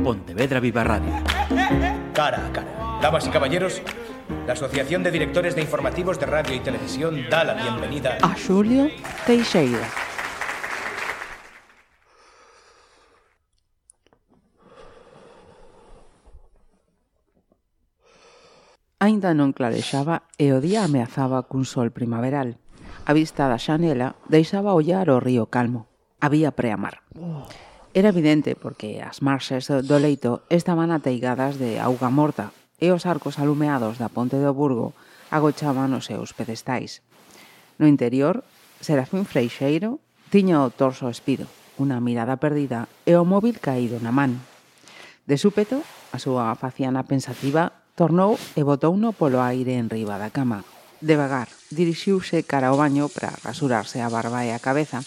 Pontevedra Viva Radio. Cara a cara. Damas y caballeros, la Asociación de Directores de Informativos de Radio y Televisión da la bienvenida a Xulio Teixeira. Aínda non clarexaba e o día ameazaba cun sol primaveral. A vista da xanela deixaba ollar o río calmo. Había preamar. Era evidente porque as marxes do leito estaban ateigadas de auga morta e os arcos alumeados da ponte do Burgo agochaban os seus pedestais. No interior, Serafín Freixeiro tiña o torso espido, unha mirada perdida e o móvil caído na man. De súpeto, a súa faciana pensativa tornou e botouno polo aire en riba da cama. Devagar, dirixiuse cara ao baño para rasurarse a barba e a cabeza.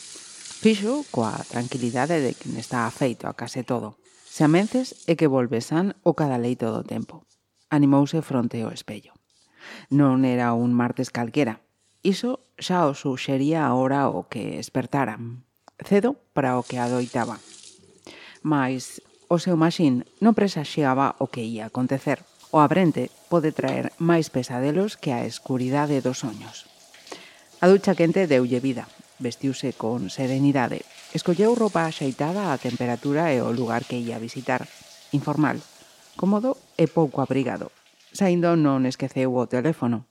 Fixo coa tranquilidade de quen está afeito a case todo. Se amences é que volve san o cada leito do tempo. Animouse fronte ao espello. Non era un martes calquera. Iso xa o suxería a hora o que espertaran. Cedo para o que adoitaba. Mais o seu maxín non presaxiaba o que ia acontecer. O abrente pode traer máis pesadelos que a escuridade dos soños. A ducha quente deulle vida. Vestiuse con serenidade. Escolleu roupa axeitada á temperatura e o lugar que ia visitar. Informal, cómodo e pouco abrigado. Saindo non esqueceu o teléfono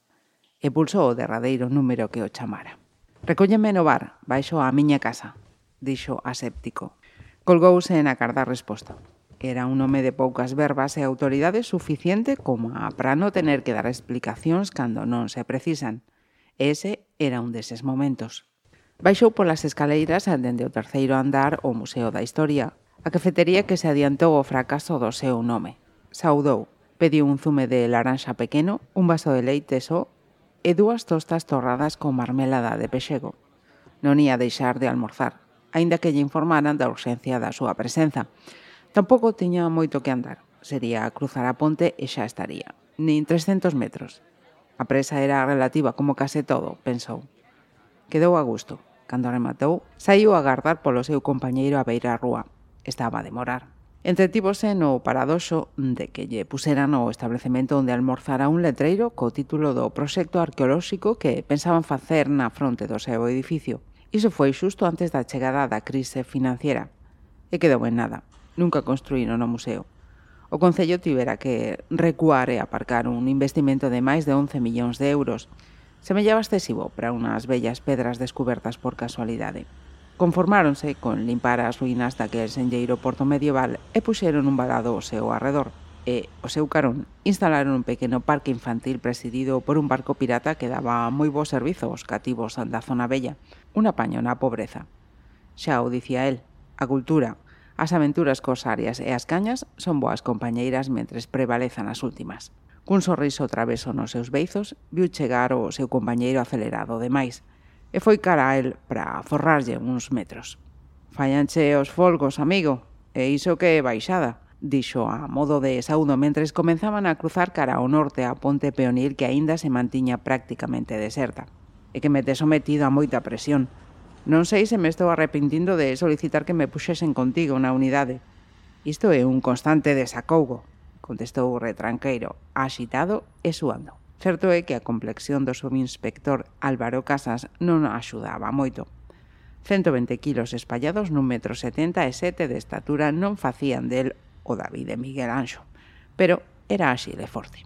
e pulsou o derradeiro número que o chamara. «Recólleme no bar, baixo á miña casa», dixo aséptico. Colgouse en acardar resposta. Era un home de poucas verbas e autoridade suficiente como para non tener que dar explicacións cando non se precisan. E ese era un deses momentos. Baixou polas escaleiras dende o terceiro andar ao Museo da Historia, a cafetería que se adiantou ao fracaso do seu nome. Saudou, pediu un zume de laranxa pequeno, un vaso de leite só e 2 tostas torradas con marmelada de pexego. Non ia deixar de almorzar, aínda que lle informaran da urxencia da súa presenza. Tampouco tiña moito que andar. Sería cruzar a ponte e xa estaría. Nin 300 metros. A presa era relativa como case todo, pensou. Quedou a gusto. Cando rematou, saiu a agardar polo seu compañeiro a beira a rúa. Estaba a demorar. Entretívose no paradoxo de que lle puseran o establecemento onde almorzara un letreiro co título do proxecto arqueolóxico que pensaban facer na fronte do seu edificio. Iso foi xusto antes da chegada da crise financiera. E quedou en nada. Nunca construíron o museo. O Concello tivera que recuar e aparcar un investimento de máis de 11 millóns de euros. Semellaba excesivo para unhas bellas pedras descubertas por casualidade. Conformáronse con limpar as ruínas daquel senlleiro porto medieval e puxeron un valado ao seu arredor. E, ao seu carón, instalaron un pequeno parque infantil presidido por un barco pirata que daba moi bo servizo aos cativos da zona bella. Un apaño na pobreza. Xa o dicía el, a cultura, as aventuras corsarias e as cañas son boas compañeiras mentres prevalezan as últimas. Cun sorriso traveso nos seus beizos, viu chegar o seu compañeiro acelerado demais, e foi cara a el para forrarlle uns metros. «Fallanche os folgos, amigo, e iso que é baixada», dixo a modo de saúdo mentres comenzaban a cruzar cara ao norte a ponte peonil que aínda se mantiña prácticamente deserta. «E que me te sometido a moita presión. Non sei se me estou arrepentindo de solicitar que me puxesen contigo na unidade. Isto é un constante desacougo», contestou retranqueiro, axitado e suando. Certo é que a complexión do subinspector Álvaro Casas non axudaba moito. 120 kilos espallados nun 1,77 m de estatura non facían del o David de Miguel Anxo, pero era áxil e forte.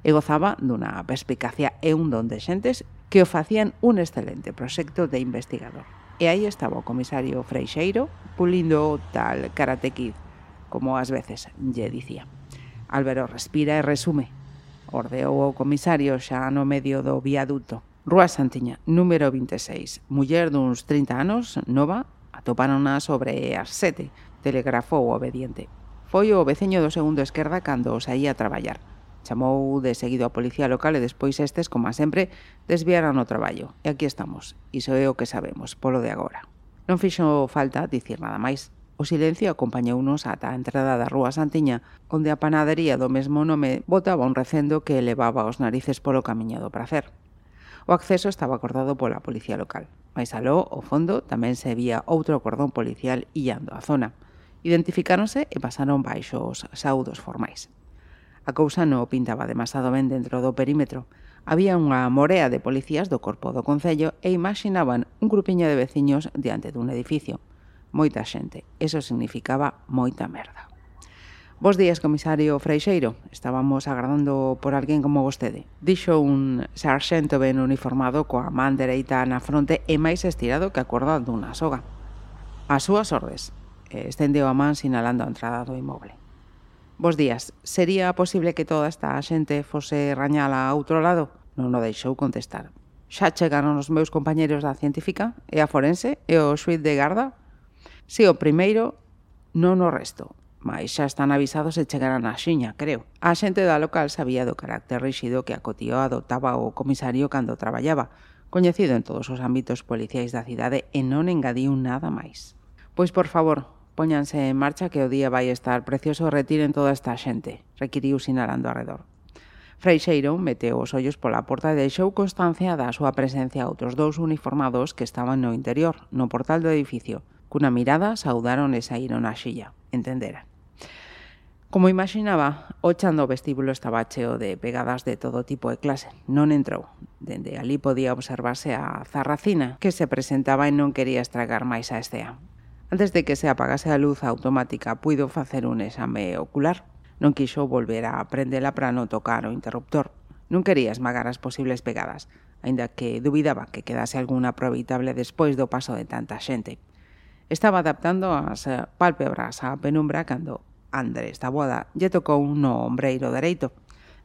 E gozaba dunha perspicacia e un don de xentes que o facían un excelente proxecto de investigador. E aí estaba o comisario Freixeiro pulindo o tal Karate Kid, como ás veces lle dicía. Álvaro respira e resume. Ordeou o comisario xa no medio do viaduto. Rúa Santiña, número 26. Muller duns 30 anos, nova, atopárona sobre as 7. Telegrafou o obediente. Foi o veciño do segundo esquerda cando saía a traballar. Chamou de seguido a policía local e despois estes, como sempre, desviaran o traballo. E aquí estamos. Iso é o que sabemos, polo de agora. Non fixo falta dicir nada máis. O silencio acompañounos ata a entrada da Rúa Santiña, onde a panadería do mesmo nome botaba un recendo que elevaba os narices polo camiño do pracer. O acceso estaba acordado pola policía local. Mais aló, ao fondo, tamén se vía outro cordón policial illando a zona. Identificáronse e pasaron baixo os saúdos formais. A cousa non pintaba demasiado ben dentro do perímetro. Había unha morea de policías do corpo do concello e imaginaban un grupiño de veciños diante dun edificio. Moita xente. Eso significaba moita merda. Bos días, comisario Freixeiro. Estábamos agardando por alguén como vostede. Dixo un sarxento ben uniformado coa man dereita na fronte e máis estirado que a corda dunha soga. As súas ordes. Estendeu a man sinalando a entrada do inmoble. Bos días. Sería posible que toda esta xente fose rañala a outro lado? Non o deixou contestar. Xa chegaron os meus compañeros da científica e a forense e o xuíz de garda? Si, o primeiro, non o resto. Mais xa están avisados e chegarán a xiña, creo. A xente da local sabía do carácter ríxido que a Cotío adoptaba o comisario cando traballaba, coñecido en todos os ámbitos policiais da cidade e non engadiu nada máis. Pois, por favor, póñanse en marcha que o día vai estar precioso e retiren toda esta xente, requiriu sinalando arredor. Freixeiro meteu os ollos pola porta e deixou constancia da súa presencia a outros dous uniformados que estaban no interior, no portal do edificio. Cunha mirada saudaron e saíron á xilla. Entendera. Como imaginaba, o chan do vestíbulo estaba cheo de pegadas de todo tipo e clase. Non entrou. Dende ali podía observarse a zarracina, que se presentaba e non quería estragar máis a escea. Antes de que se apagase a luz automática, puido facer un exame ocular. Non quixo volver a prendela para non tocar o interruptor. Non quería esmagar as posibles pegadas, aínda que dubidaba que quedase alguna aproveitable despois do paso de tanta xente. Estaba adaptando as pálpebras á penumbra cando Andrés Taboada lle tocou no ombreiro dereito.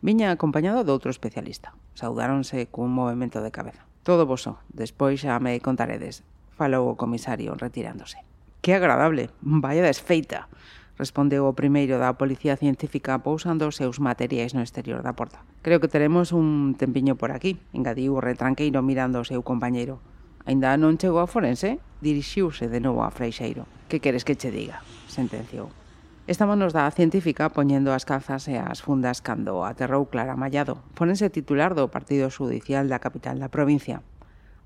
Viña acompañado doutro especialista. Saudáronse cun movimento de cabeza. Todo boso, despois xa me contaredes, falou o comisario retirándose. Que agradable, vaya desfeita, respondeu o primeiro da Policía Científica pousando os seus materiais no exterior da porta. Creo que teremos un tempiño por aquí, engadiu o retranqueiro mirando o seu compañeiro. Ainda non chegou a forense? Dirixiuse de novo a Freixeiro. Que queres que che diga? Sentenciou. Estámonos da Científica poñendo as calzas e as fundas cando aterrou Clara Mallado, forense titular do Partido Judicial da capital da provincia.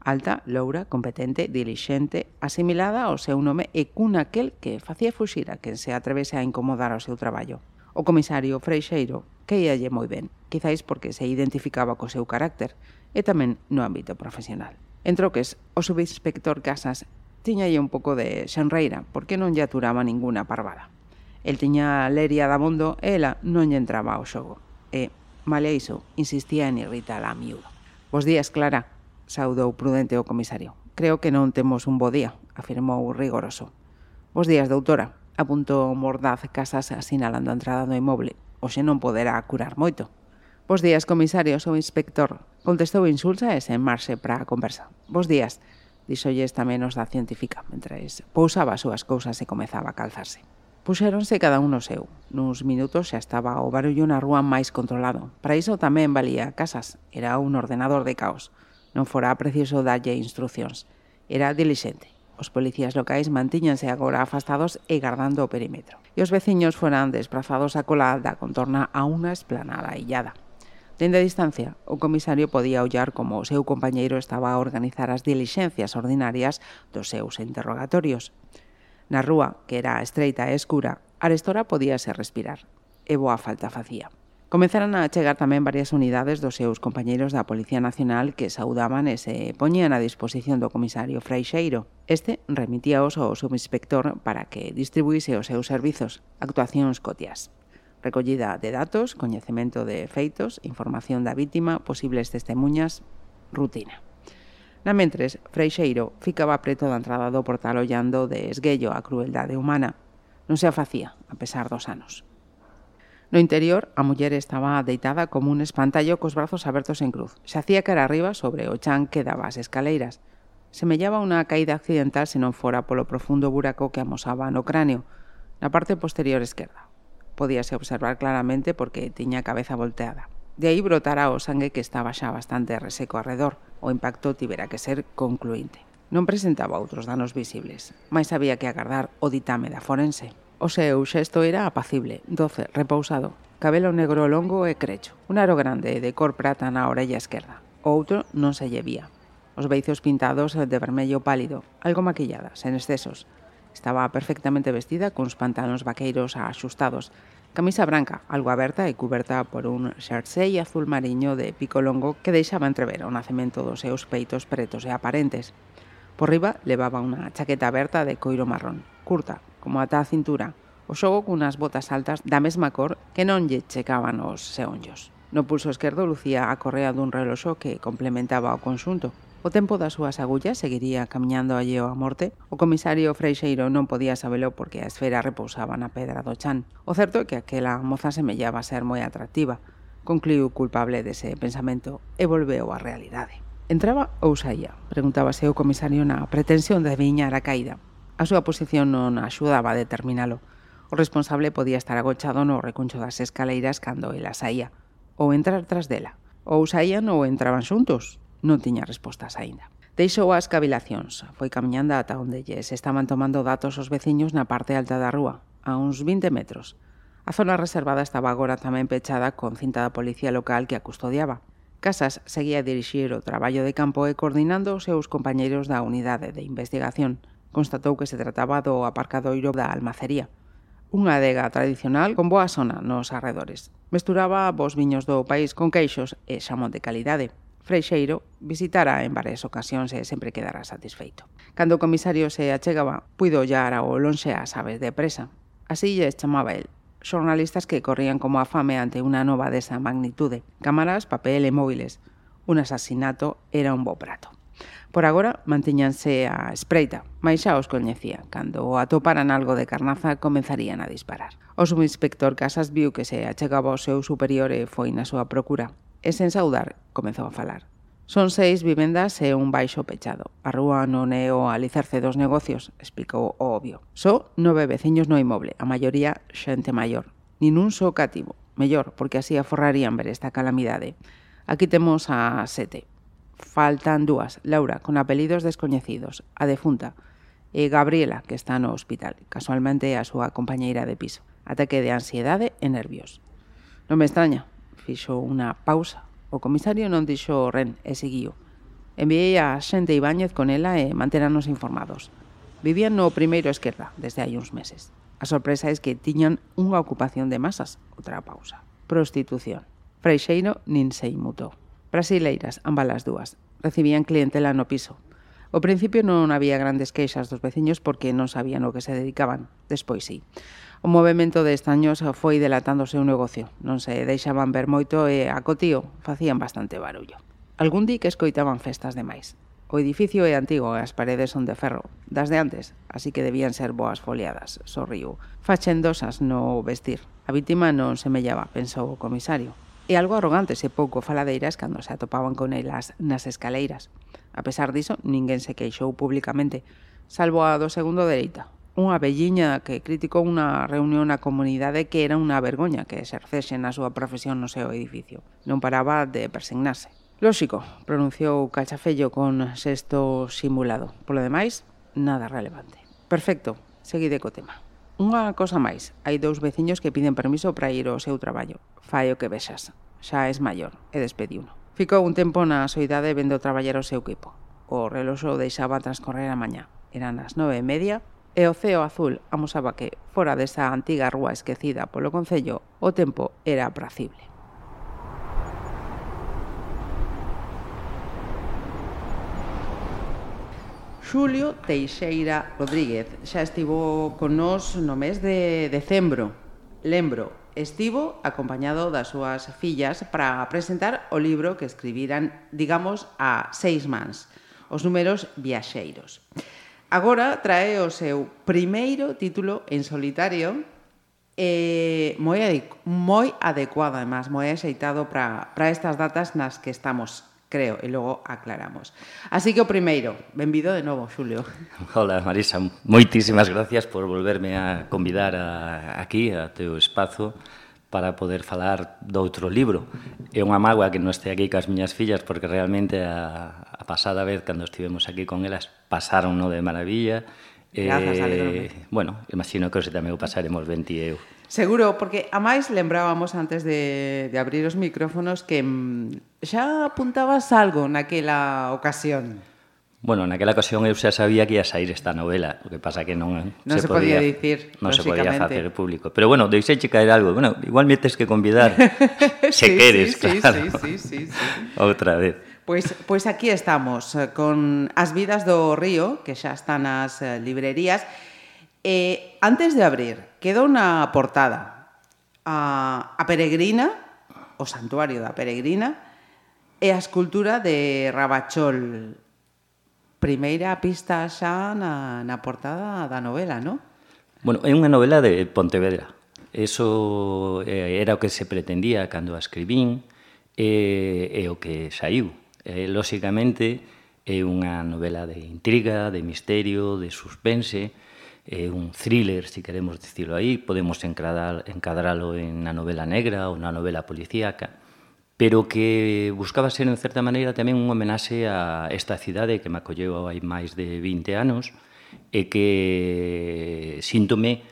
Alta, loura, competente, dilixente, asimilada ao seu nome e cun aquel que facía fuxir a quen se atrevese a incomodar o seu traballo. O comisario Freixeiro queíalle moi ben, quizáis porque se identificaba co seu carácter e tamén no ámbito profesional. En troques, o subinspector Casas tiñalle un pouco de xenreira porque non lle aturaba ninguna parvada. El tiña leria da mundo e ela non lle entraba ao xogo. E, malia iso, insistía en irritar a miúdo. Bos días, Clara, saudou prudente o comisario. Creo que non temos un bo día, afirmou rigoroso. Bos días, doutora, apuntou mordaz Casas asinalando a entrada do inmoble. Hoxe non poderá curar moito. Bos días, comisario, sou inspector, contestou insulsa e sen marxe para a conversa. Bos días, díxolles tamén os da Científica, mentres pousaba as súas cousas e comezaba a calzarse. Puxéronse cada un no seu. Nuns minutos xa estaba o barullo na rúa máis controlado. Para iso tamén valía Casas. Era un ordenador de caos. Non fora preciso darlle instruccións. Era dilixente. Os policías locais mantíñanse agora afastados e guardando o perímetro. E os veciños foran desprazados a cola da contorna a unha esplanada illada. Dende a distancia, o comisario podía ollar como o seu compañeiro estaba a organizar as dilixencias ordinarias dos seus interrogatorios. Na rúa, que era estreita e escura, arestora podíase respirar. E boa falta facía. Comenzaran a chegar tamén varias unidades dos seus compañeiros da Policía Nacional que saudaban e se poñían a disposición do comisario Freixeiro. Este remitíaos ao subinspector para que distribuíse os seus servizos, actuacións cotiás. Recollida de datos, coñecemento de feitos, información da vítima, posibles testemunhas, rutina. Namentres, Freixeiro ficaba preto da entrada do portal ollando de esguello a crueldade humana. Non se a facía, a pesar dos anos. No interior, a muller estaba deitada como un espantallo cos brazos abertos en cruz. Xacía cara arriba sobre o chan que daba as escaleiras. Semellaba unha caída accidental se non fora polo profundo buraco que amosaba no cráneo, na parte posterior esquerda. Podíase observar claramente porque tiña a cabeza volteada. De aí brotara o sangue que estaba xa bastante reseco arredor. O impacto tivera que ser concluinte. Non presentaba outros danos visibles, mais había que agardar o ditame da forense. O seu xesto era apacible, doce, repousado, cabelo negro longo e crecho, un aro grande de cor prata na orella esquerda. O outro non se lle vía. Os beizos pintados de vermello pálido, algo maquillada, sen excesos. Estaba perfectamente vestida cuns pantalóns vaqueiros axustados, camisa branca, algo aberta e cuberta por un xersei azul mariño de pico longo que deixaba entrever o nacemento dos seus peitos pretos e aparentes. Por riba levaba unha chaqueta aberta de coiro marrón, curta, como ata a cintura, o xogo cunhas botas altas da mesma cor que non lle checaban os seonllos. No pulso esquerdo lucía a correa dun reloxo que complementaba o conxunto. O tempo das súas agullas seguiría camiñando alleo á morte. O comisario Freixeiro non podía sabelo porque a esfera repousaba na pedra do chan. O certo é que aquela moza semellaba ser moi atractiva. Concluiu culpable dese pensamento e volveu á realidade. Entraba ou saía? Preguntábase o comisario na pretensión de adiviñar a caída. A súa posición non axudaba a determinalo. O responsable podía estar agochado no recuncho das escaleiras cando ela saía, ou entrar tras dela. Ou saían ou entraban xuntos. Non tiña respostas aínda. Deixou as cavilacións, foi camiñando ata onde lles estaban tomando datos os veciños na parte alta da rúa, a uns 20 metros. A zona reservada estaba agora tamén pechada con cinta da policía local que a custodiaba. Casas seguía a dirixir o traballo de campo e coordinando os seus compañeiros da unidade de investigación. Constatou que se trataba do aparcadoiro da almacería. Unha adega tradicional con boa zona nos arredores. Mesturaba bos viños do país con queixos e xamón de calidade. Freixeiro visitara en varias ocasións e sempre quedara satisfeito. Cando o comisario se achegaba, puido ollar ao lonxe as aves de presa. Así lles chamaba el. Xornalistas que corrían como a fame ante unha nova desa magnitude. Cámaras, papel e móviles. Un asasinato era un bo prato. Por agora mantíñanse a espreita, mais xa os coñecía. Cando atoparan algo de carnaza, comenzarían a disparar. O subinspector Casas viu que se achegaba ao seu superior e foi na súa procura. E sen saudar, comezou a falar. Son 6 vivendas e un baixo pechado. A rúa non é o alicerce dos negocios, explicou o obvio. Só 9 veciños no inmoble, a maioría xente maior. Nin un só cativo. Mellor, porque así aforrarían ver esta calamidade. Aquí temos a 7. Faltan 2, Laura, con apelidos descoñecidos, a defunta, e Gabriela, que está no hospital, casualmente a súa compañeira de piso. Ataque de ansiedade e nervios. Non me extraña. Fixo unha pausa. O comisario non dixo ren e seguiu. Enviei a xente Ibáñez con ela e mantéranos informados. Vivían no primeiro esquerda desde hai uns meses. A sorpresa é que tiñan unha ocupación de masas. Outra pausa. Prostitución. Freixeiro nin se inmutou. Brasileiras, ambas as dúas. Recibían clientela no piso. Ao principio non había grandes queixas dos veciños porque non sabían o que se dedicaban. Despois sí. O movemento de estaños foi delatando o seu negocio. Non se deixaban ver moito e a cotío facían bastante barullo. Algún di que escoitaban festas demais. O edificio é antigo e as paredes son de ferro, das de antes, así que debían ser boas foliadas, sorriu. Fachendosas no vestir. A vítima non semellaba, pensou o comisario. E algo arrogantes e pouco faladeiras cando se atopaban con elas nas escaleiras. A pesar diso, ninguén se queixou públicamente, salvo a do segundo dereita. Unha velliña que criticou unha reunión na comunidade que era unha vergoña que exercese na súa profesión no seu edificio. Non paraba de persignarse. Lóxico, pronunciou Cachafello con xesto simulado. Polo demais, nada relevante. Perfecto, seguide co tema. Unha cosa máis, hai 2 veciños que piden permiso para ir ao seu traballo. Fai o que vexas. Xa es maior, e despediuno. Ficou un tempo na soidade vendo traballar o seu equipo. O reloxo deixaba transcorrer a mañá. Eran as 9:30 e o ceo azul amosaba que, fora desa antiga rúa esquecida polo concello, o tempo era apracible. Xulio Teixeira Rodríguez xa estivo con nós no mes de decembro. Lembro, estivo acompañado das súas fillas para presentar o libro que escribiran, digamos, a 6 mans, os números viaxeiros. Agora trae o seu primeiro título en solitario moi adecuado, además, moi axeitado para estas datas nas que estamos, creo, e logo aclaramos. Así que o primeiro, benvido de novo, Xulio. Hola, Marisa, moitísimas gracias por volverme a convidar aquí, a teu espazo, para poder falar doutro libro. É unha mágoa que non este aquí cas miñas fillas, porque realmente a pasada vez, cando estivemos aquí con elas, pasaron no de maravilla. Grazas, alegro. Bueno, imagino que hoxe tamén o pasaremos ben ti e eu. Seguro, porque a máis lembrábamos antes de abrir os micrófonos que xa apuntabas algo naquela ocasión. Bueno, naquela ocasión eu xa sabía que ia sair esta novela, o que pasa que non se podía dicir, non se podía facer público. Pero bueno, deixeiche caer algo. Bueno, igual me tes que convidar se queres, claro. Sí. Outra vez. Pois aquí estamos, con As vidas do río, que xa están nas librerías. Antes de abrir, queda unha portada. A Peregrina, o Santuario da Peregrina, e a escultura de Rabachol. Primeira pista xa na portada da novela, non? Bueno, é unha novela de Pontevedra. Eso era o que se pretendía cando a escribín e o que saiu. Lóxicamente, é unha novela de intriga, de misterio, de suspense, é un thriller, se queremos dicirlo aí. Podemos encadralo en na novela negra ou na novela policíaca, pero que buscaba ser, en certa maneira, tamén un homenaxe a esta cidade que me acolleu hai máis de 20 anos e que síntome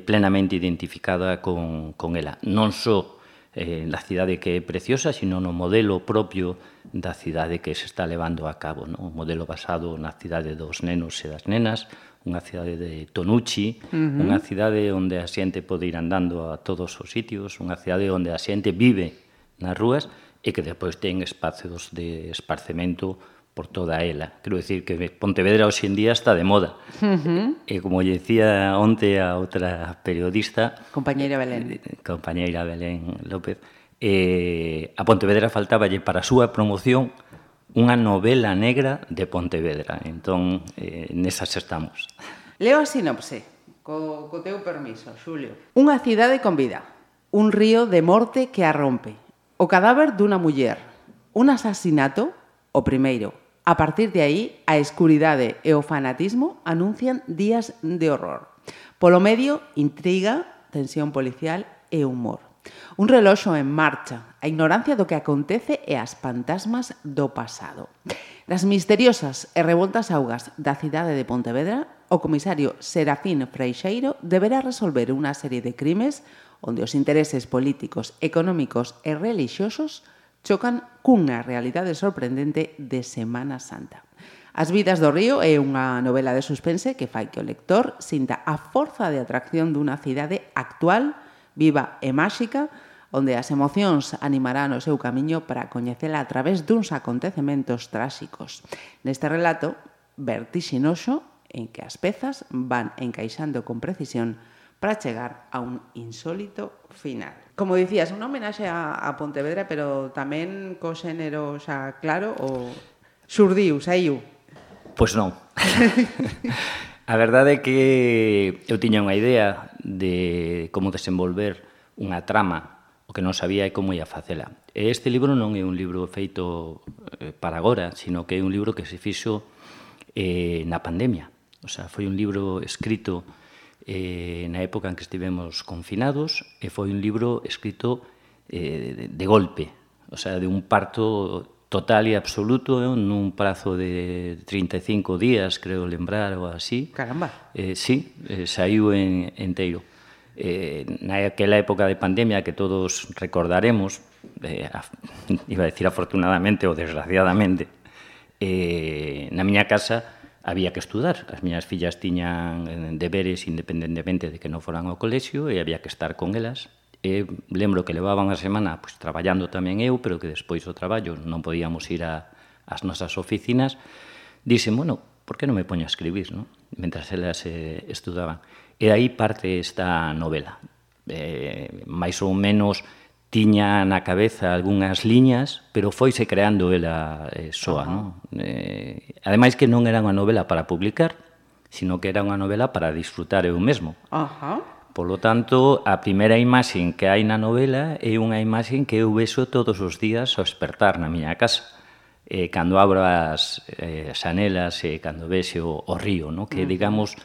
plenamente identificada con ela. Non só na cidade que é preciosa, sino no modelo propio da cidade que se está levando a cabo, no? Un modelo basado na cidade dos nenos e das nenas, unha cidade de Tonucci, unha cidade onde a xente pode ir andando a todos os sitios, unha cidade onde a xente vive nas rúas e que depois ten espacios de esparcemento por toda ela. Quero dicir que Pontevedra hoxe en día está de moda. E como lle dicía onte a outra periodista, Compañeira Belén López, a Pontevedra faltáballe para a súa promoción unha novela negra de Pontevedra. Entón, nesas estamos. Leo a sinopse, co teu permiso, Xulio. Unha cidade con vida, un río de morte que a rompe. O cadáver dunha muller, un asasinato, o primeiro. A partir de aí, a escuridade e o fanatismo anuncian días de horror. Polo medio, intriga, tensión policial e humor. Un reloxo en marcha, a ignorancia do que acontece e as fantasmas do pasado. Das misteriosas e revoltas augas da cidade de Pontevedra, o comisario Serafín Freixeiro deberá resolver unha serie de crimes onde os intereses políticos, económicos e relixiosos chocan cunha realidade sorprendente de Semana Santa. As vidas do río é unha novela de suspense que fai que o lector sinta a forza de atracción dunha cidade actual, viva e máxica, onde as emocións animarán o seu camiño para coñecela a través duns acontecementos tráxicos. Neste relato vertixinoso en que as pezas van encaixando con precisión para chegar a un insólito final. Como dicías, unha homenaxe a Pontevedra, pero tamén co xénero xa claro o xurdiu, saiu? Pois non. A verdade é que eu tiña unha idea de como desenvolver unha trama, o que non sabía é como ia facela. E este libro non é un libro feito para agora, sino que é un libro que se fixo na pandemia. O sea, foi un libro escrito na época en que estivemos confinados e foi un libro escrito de golpe, o sea, de un parto total e absoluto nun prazo de 35 días, creo lembrar, ou así. Caramba! Sí, saiu enteiro. Naquela época de pandemia que todos recordaremos, iba a decir afortunadamente ou desgraciadamente, na miña casa había que estudar. As miñas fillas tiñan deberes independentemente de que non foran ao colexio e había que estar con elas. E lembro que levaban a semana pues, traballando tamén eu, pero que despois do traballo non podíamos ir ás nosas oficinas. Dixen, bueno, por que non me poño a escribir, no? Mentras elas estudaban. E aí parte esta novela. Mais ou menos tiña na cabeza algunhas liñas, pero foise creando ela soa, non? Ademais que non era unha novela para publicar, sino que era unha novela para disfrutar eu mesmo. Polo tanto, a primeira imaxen que hai na novela é unha imaxen que eu vexo todos os días ao despertar na miña casa. Cando abro as xanelas e cando vexo o río, non? Que, digamos,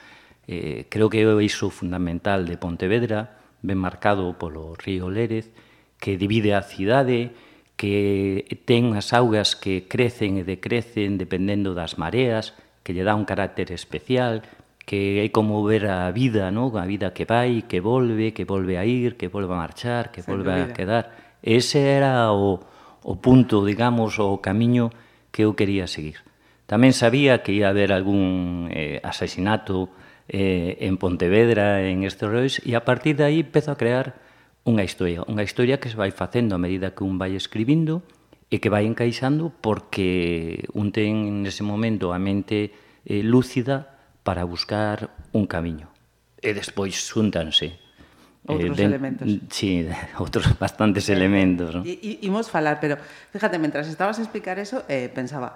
creo que é o eixo fundamental de Pontevedra, ben marcado polo río Lérez, que divide a cidade, que ten as augas que crecen e decrecen dependendo das mareas, que lle dá un carácter especial, que é como ver a vida, ¿no? A vida que vai, que volve a ir, que volve a marchar, que volve a quedar. Ese era o punto, digamos, o camiño que eu quería seguir. Tamén sabía que ia haber algún asesinato en Pontevedra, en Esterois, e a partir de aí empezo a crear unha historia que se vai facendo a medida que un vai escribindo e que vai encaixando porque un ten nese momento a mente lúcida para buscar un camiño. E despois xúntanse outros elementos. Sí, outros bastantes elementos, ¿no? Imos falar, pero fíjate, mentras estabas a explicar eso, pensaba,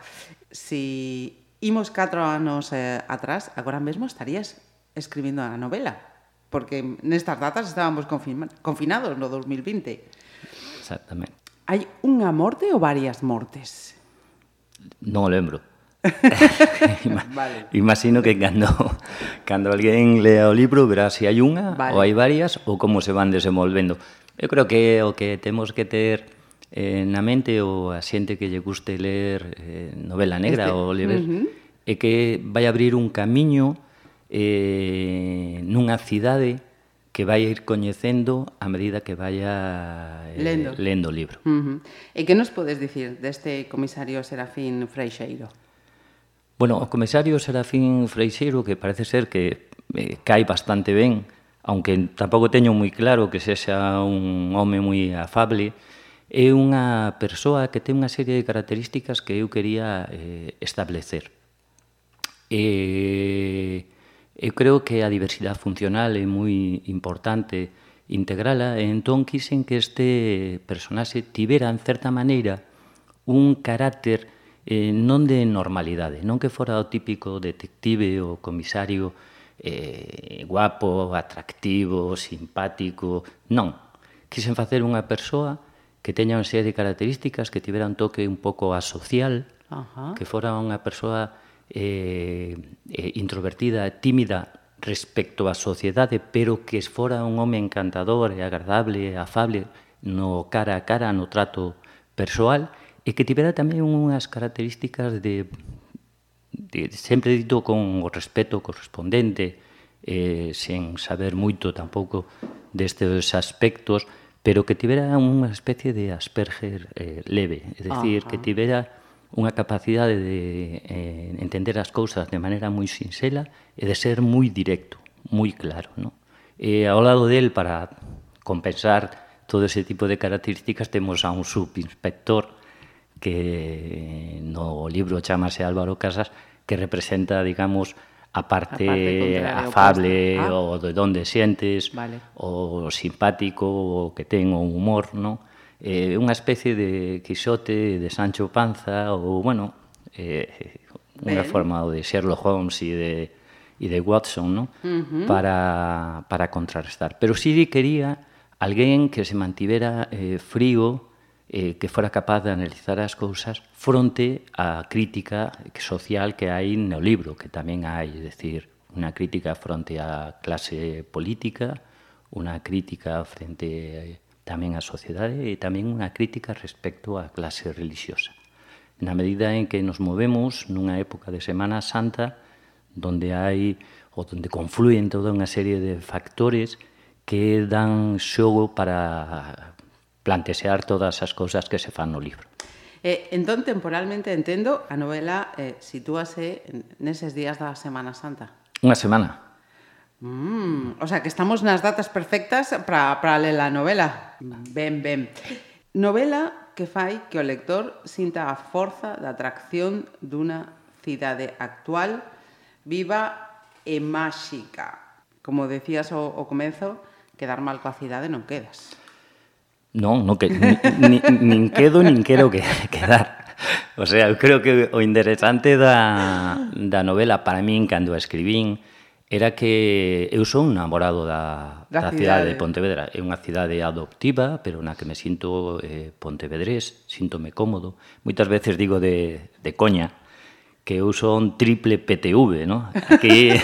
si imos 4 anos atrás, agora mesmo estarías escribindo a novela, porque nestas datas estábamos confinados no 2020. Exactamente. Hai unha morte ou varias mortes? Non o lembro. Vale. Imagino que cando alguén lea o libro verá se hai unha ou hai varias ou como se van desenvolvendo. Eu creo que o que temos que ter na mente ou a xente que lle guste ler novela negra ou ler é que vai abrir un camiño nunha cidade que vai ir coñecendo a medida que vaya lendo o libro. E que nos podes dicir deste comisario Serafín Freixeiro? Bueno, o comisario Serafín Freixeiro, que parece ser que cae bastante ben, aunque tampouco teño moi claro que sexa un home moi afable, é unha persoa que ten unha serie de características que eu quería establecer. Eu creo que a diversidade funcional é moi importante integrala, e entón quixen que este personaxe tivera, en certa maneira, un carácter non de normalidade, non que fora o típico detective ou comisario guapo, atractivo, simpático, non. Quixen facer unha persoa que teña unha serie de características, que tivera un toque un pouco asocial, que fora unha persoa introvertida, tímida respecto á sociedade, pero que fora un home encantador e agradable, afable, no cara a cara, no trato persoal, e que tivera tamén unhas características de sempre dito con o respeto correspondente, sen saber moito tampouco destes aspectos, pero que tivera unha especie de Asperger leve, é dicir, que tivera unha capacidade de entender as cousas de maneira moi sinxela e de ser moi directo, moi claro, ¿no? E ao lado del, para compensar todo ese tipo de características, temos a un subinspector que no libro chamase Álvaro Casas, que representa, digamos, a parte afable, o de donde sientes, o simpático, o que ten o humor, ¿no? Unha especie de Quixote, de Sancho Panza, ou, bueno, unha forma de Sherlock Holmes e de Watson, ¿no? Para contrarrestar. Pero sí quería alguén que se mantivera frío, que fora capaz de analizar as cousas fronte á crítica social que hai no libro, que tamén hai, é dicir, unha crítica fronte á clase política, unha crítica frente tamén á sociedade e tamén unha crítica respecto á clase religiosa. Na medida en que nos movemos nunha época de Semana Santa donde hai ou donde confluen toda unha serie de factores que dan xogo para plantexear todas as cousas que se fan no libro. Entón, temporalmente, entendo, a novela sitúase neses días da Semana Santa. Unha semana. O sea, que estamos nas datas perfectas para ler a novela. Ben. Novela que fai que o lector sinta a forza da atracción dunha cidade actual, viva e máxica. Como decías ao comezo, quedar mal coa cidade non quedas. Non, nin quedo, nin quero quedar. O sea, eu creo que o interesante da novela para min, cando a escribín, era que eu son un namorado da cidade de Pontevedra. É unha cidade adoptiva, pero na que me sinto pontevedrés, síntome cómodo. Moitas veces digo de coña que eu son triple PTV, ¿no? Aquí,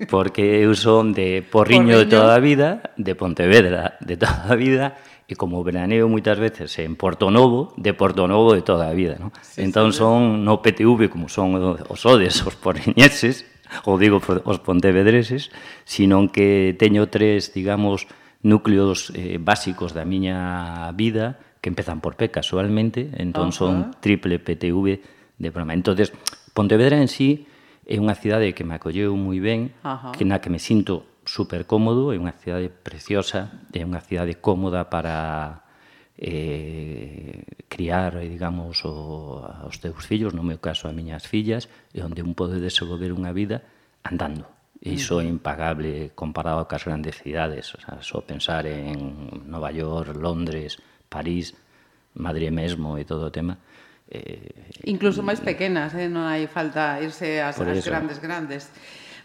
porque eu son de Porriño de toda a vida, de Pontevedra de toda a vida, e como veraneo moitas veces en Porto Novo, de Porto Novo de toda a vida, ¿no? Entón son no PTV como son os odes, os porriñeses, ou digo os pontevedreses, sino que teño tres, digamos, núcleos básicos da miña vida que empezan por P casualmente, entón son triple PTV de broma. Entonces, Pontevedra en sí é unha cidade que me acolleu moi ben, que na que me sinto super cómodo, é unha cidade preciosa, é unha cidade cómoda para criar, digamos, aos teus fillos, no meu caso, as miñas fillas, e onde un pode desenvolver unha vida andando. Iso é impagable comparado cas grandes cidades, o sea, só pensar en Nova York, Londres, París, Madrid mesmo e todo o tema. Incluso máis pequenas, non hai falta irse ás grandes.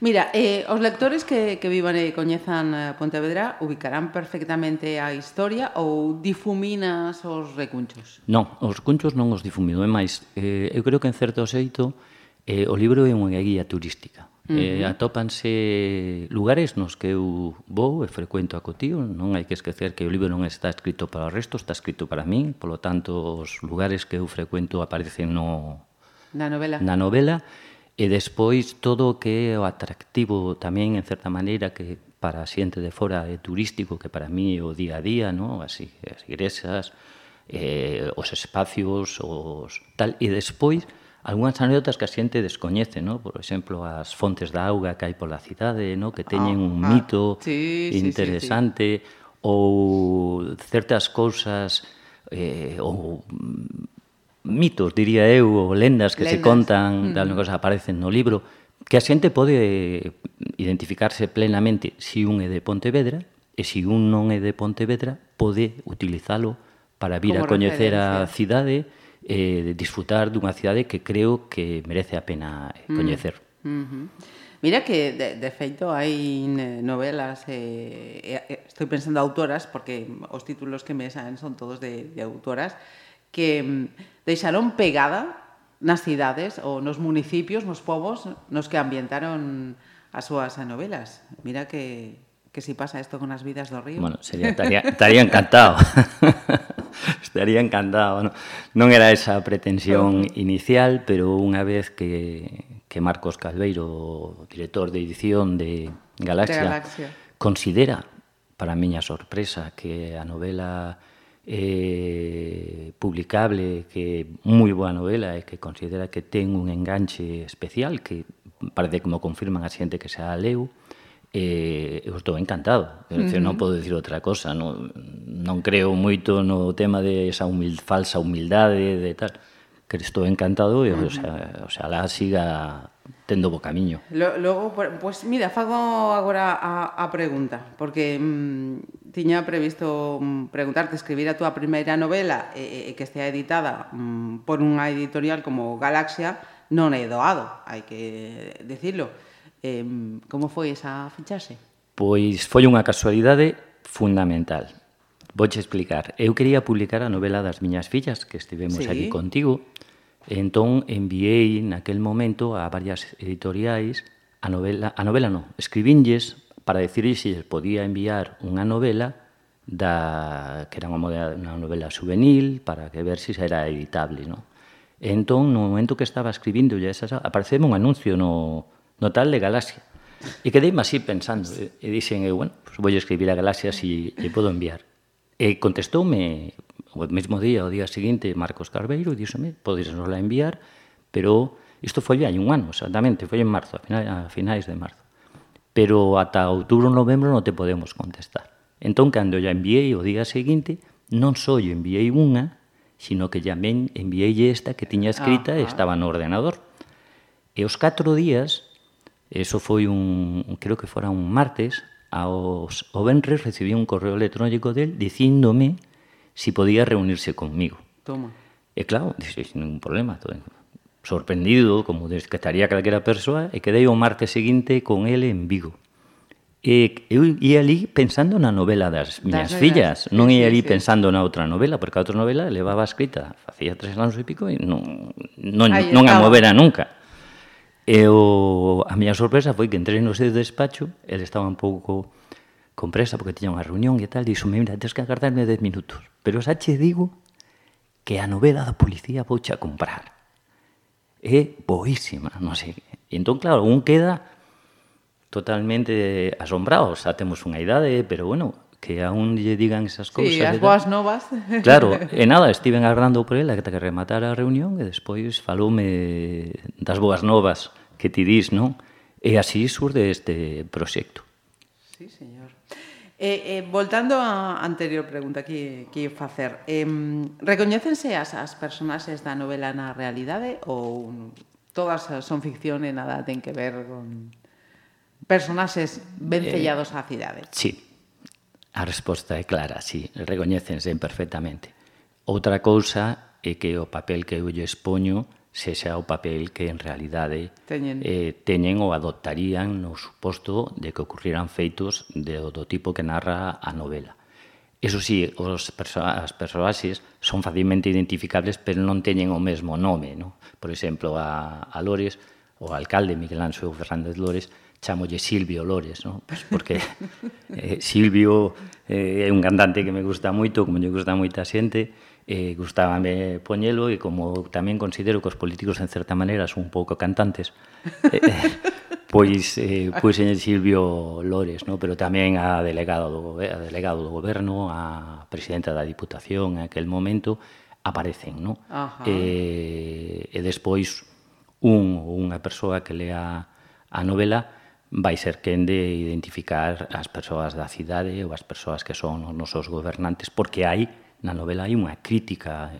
Mira, os lectores que vivan e coñezan Pontevedra ubicarán perfectamente a historia ou difuminas os recunchos? Non, os cunchos non os difumino, é máis, eu creo que en certo xeito o libro é unha guía turística. Atópanse lugares nos que eu vou e frecuento a cotío, non hai que esquecer que o libro non está escrito para o resto, está escrito para min, polo tanto os lugares que eu frecuento aparecen na novela. E despois todo o que é o atractivo tamén, en certa maneira, que para a xente de fora é turístico, que para mí é o día a día, no? As igrexas, os espacios, os tal. E despois, algunhas anécdotas que a xente descoñece, no? Por exemplo, as fontes da auga que hai pola cidade, no? Que teñen un mito interesante, ou certas cousas, ou mitos, diría eu, ou lendas que se contan, de algo que aparecen no libro, que a xente pode identificarse plenamente se un é de Pontevedra, e se un non é de Pontevedra, pode utilizalo para vir a coñecer a cidade e disfrutar dunha cidade que creo que merece a pena coñecer. Mira que, de feito, hai novelas, estou pensando autoras, porque os títulos que me saen son todos de autoras, que deixaron pegada nas cidades ou nos municipios, nos povos, nos que ambientaron as súas novelas. Mira que si pasa isto con as vidas do río. Bueno, estaría encantado. Estaría encantado. Non era esa pretensión inicial, pero unha vez que Marcos Calveiro, o director de edición de Galaxia, considera, para a miña sorpresa, que a novela publicable, que é moi boa novela e que considera que ten un enganche especial, que parece como confirman a xente que xa a leu, eu estou encantado. Non podo dicir outra cosa, non creo moito no tema de esa falsa humildade de tal, que estou encantado e oxalá siga tendo bo camiño. Logo, pues mira, fago agora a pregunta, porque tiña previsto preguntarte, escribir a túa primeira novela e que estea editada por unha editorial como Galaxia non é doado, hai que dicirlo. Como foi esa fichaxe? Pois foi unha casualidade fundamental. Vouche explicar. Eu quería publicar a novela das miñas fillas, que estivemos aquí contigo. Entón, enviei naquel momento a varias editoriais a novela non, escribinlles para decirles se podía enviar unha novela que era unha novela juvenil para que ver se era editable, non? Entón, no momento que estaba escribindo apareceu un anuncio no tal de Galaxia e quedeime así pensando e dixen, bueno, pues vou escribir a Galaxia se lle podo enviar. E contestoume o mesmo día, o día seguinte, Marcos Calveiro, e díxome, podes nos la enviar, pero isto foi hai un ano, exactamente, foi en marzo, a finais de marzo. Pero ata outubro ou novembro non te podemos contestar. Entón, cando ya enviei o día seguinte, non só lle enviei unha, sino que tamén enviei esta que tiña escrita e estaba no ordenador. E os 4 días, eso foi creo que fora un martes, o venres recibí un correo electrónico del dicíndome si podía reunirse conmigo. Toma. E claro, dixo, ningún problema, sorprendido, como que estaría calquera persoa, e quedei o martes seguinte con ele en Vigo. E eu ia ali pensando na novela das miñas fillas, non ia ali pensando na outra novela, porque a outra novela levaba escrita facía 3 anos e pico e non a movera nunca. E a miña sorpresa foi que entrei no seu despacho, ele estaba un pouco con presa porque tiña unha reunión e tal, dixo, mira, tens que agardarme 10 minutos, pero xa che digo que a novela da policía vouche a comprar. É boísima, non sei. E entón, claro, un queda totalmente asombrado, xa temos unha idade, pero bueno, que aún lle digan esas cousas. Sí, as boas novas. Claro, e nada, estiven agardando por ela que rematara a reunión e despois faloume das boas novas que ti dís, non? E así surde este proxecto. Sí, señor. Voltando á anterior pregunta que ia facer, recoñécense as personaxes da novela na realidade ou todas son ficción e nada ten que ver con personaxes ben sellados á cidade? Sí, a resposta é clara, sí, recoñécense perfectamente. Outra cousa é que o papel que eu lle expoño sexa o papel que en realidade teñen ou adoptarían no suposto de que ocurriran feitos do tipo que narra a novela. Eso sí, as persoaxes son facilmente identificables, pero non teñen o mesmo nome, non? Por exemplo, a Lores, o alcalde Miguel Anxo Fernández Lores, chamolle Silvio Lores, non? Pues porque Silvio é un cantante que me gusta moito, como lle gusta moita xente, gustábame poñelo e como tamén considero que os políticos en certa maneira son un pouco cantantes, pois en Silvio Lores, no? Pero tamén a delegado do goberno, a presidenta da Diputación en aquel momento aparecen, no? E despois unha persoa que lea a novela vai ser quen de identificar as persoas da cidade ou as persoas que son os nosos gobernantes, porque na novela hai unha crítica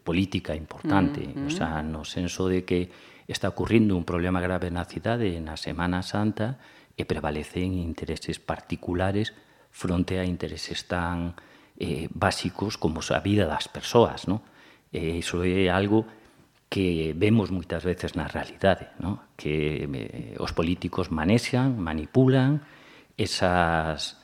política importante, o sea, no senso de que está ocurrindo un problema grave na cidade na Semana Santa e prevalecen intereses particulares fronte a intereses tan básicos como a vida das persoas, non? Iso é algo que vemos moitas veces na realidade, non? Que os políticos manexan, manipulan esas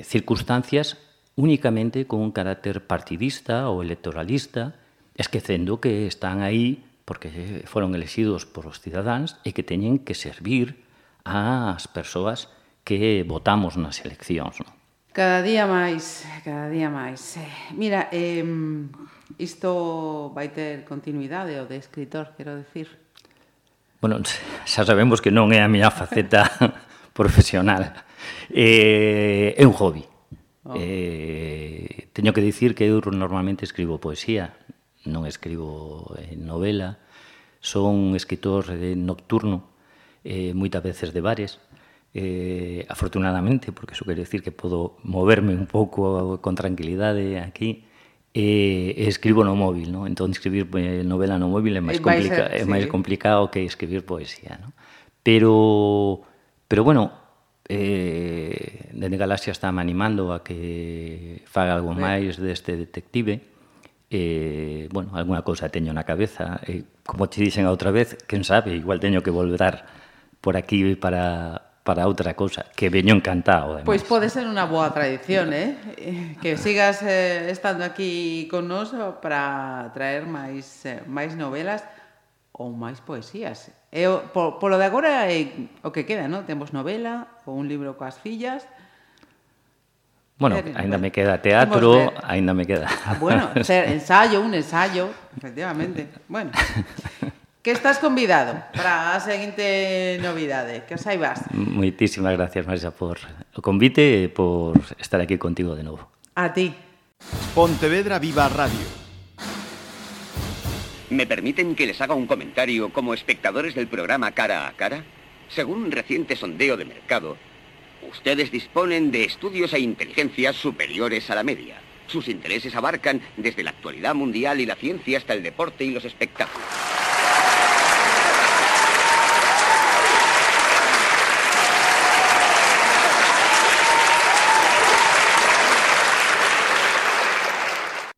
circunstancias únicamente con un carácter partidista ou electoralista, esquecendo que están aí porque foron elexidos por os cidadáns e que teñen que servir ás persoas que votamos nas eleccións. Non? Cada día máis, cada día máis. Mira, isto vai ter continuidade o de escritor, quero decir? Bueno, xa sabemos que non é a miña faceta profesional. É un hobby. Teño que dicir que eu normalmente escribo poesía, non escribo novela, son escritor nocturno, moitas veces de bares, afortunadamente, porque iso quere decir que podo moverme un pouco con tranquilidade aquí, e escribo no móvil, non? Entón, escribir novela no móvil é máis complicado que escribir poesía, non? Pero bueno, Dende Galaxia está me animando a que faga algo máis deste detective. Bueno, alguna cousa teño na cabeza. Como te dixen a outra vez, quen sabe, igual teño que volver por aquí para outra cousa, que veño encantado. Pois pode ser unha boa tradición, que sigas estando aquí con nós para traer máis novelas ou máis poesías. Polo de agora é o que queda, non? Temos novela ou un libro coas fillas. Bueno, ainda me queda teatro, ainda me queda... Bueno, un ensayo, efectivamente. Bueno, que estás convidado para a seguinte novidade, que os saibas. Moitísimas gracias, Marisa, por o convite e por estar aquí contigo de novo. A ti. Pontevedra Viva Radio. ¿Me permiten que les haga un comentario como espectadores del programa Cara a Cara? Según un reciente sondeo de mercado, ustedes disponen de estudios e inteligencias superiores a la media. Sus intereses abarcan desde la actualidad mundial y la ciencia hasta el deporte y los espectáculos.